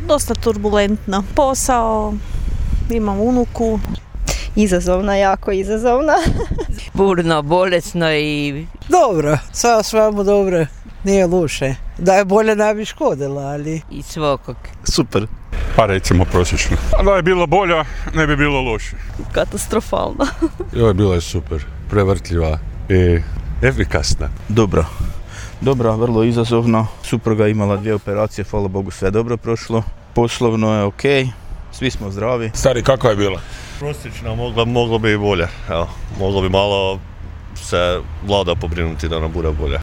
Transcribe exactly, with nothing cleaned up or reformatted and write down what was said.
Dosta turbulentno. Posao, imam unuku. Izazovna, jako izazovna. Burno, bolesno i... Dobro, sve svemu dobro, nije loše. Da je bolje ne bi škodila, ali... I svakog. Super. Pa recimo prosječno. A da je bilo bolja, ne bi bilo loše. Katastrofalno. Joj, bila je super, prevrtljiva i efikasna. Dobro. Dobro, vrlo izazovno. Supruga je imala dvije operacije, hvala Bogu sve dobro prošlo. Poslovno je ok, svi smo zdravi. Stari, kako je bila? Prosječna, mogla, moglo bi i bolje. Evo, moglo bi malo se vlada pobrinuti da nam bude bolje.